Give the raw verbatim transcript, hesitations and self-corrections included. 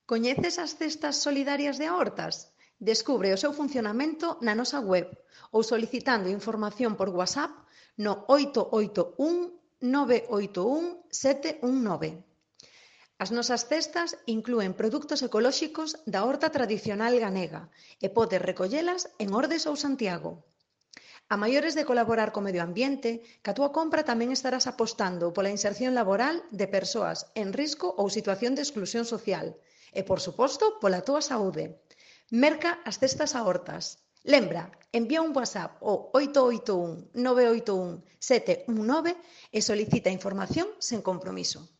Coñeces as cestas solidarias de aortas? Descubre o seu funcionamento na nosa web ou solicitando información por WhatsApp no oito oito un nove oito un sete un nove. As nosas cestas inclúen produtos ecolóxicos da horta tradicional galega e podes recollelas en Ordes ou Santiago. A maiores de colaborar co medio ambiente, ca túa compra tamén estarás apostando pola inserción laboral de persoas en risco ou situación de exclusión social e, por suposto, pola túa saúde. Merca as cestas a hortas. Lembra, envía un WhatsApp ao oito oito un nove oito un sete un nove e solicita información sen compromiso.